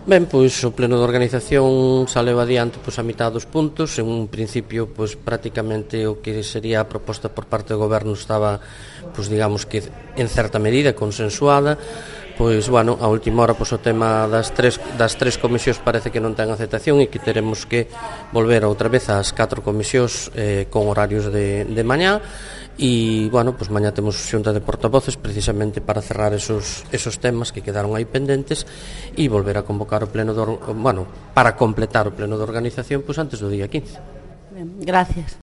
Ben, pois o pleno de organización saleu adiante a mitad dos puntos. En un principio, prácticamente o que sería a proposta por parte do goberno estaba, digamos que en certa medida consensuada. A última hora, o tema das tres comisións parece que non ten aceptación e que teremos que volver outra vez ás 4 comisións con horarios de mañá. E, mañá temos xunta de portavoces precisamente para cerrar esos temas que quedaron aí pendentes e volver a convocar o pleno para completar o pleno de organización antes do día 15. Ben, gracias.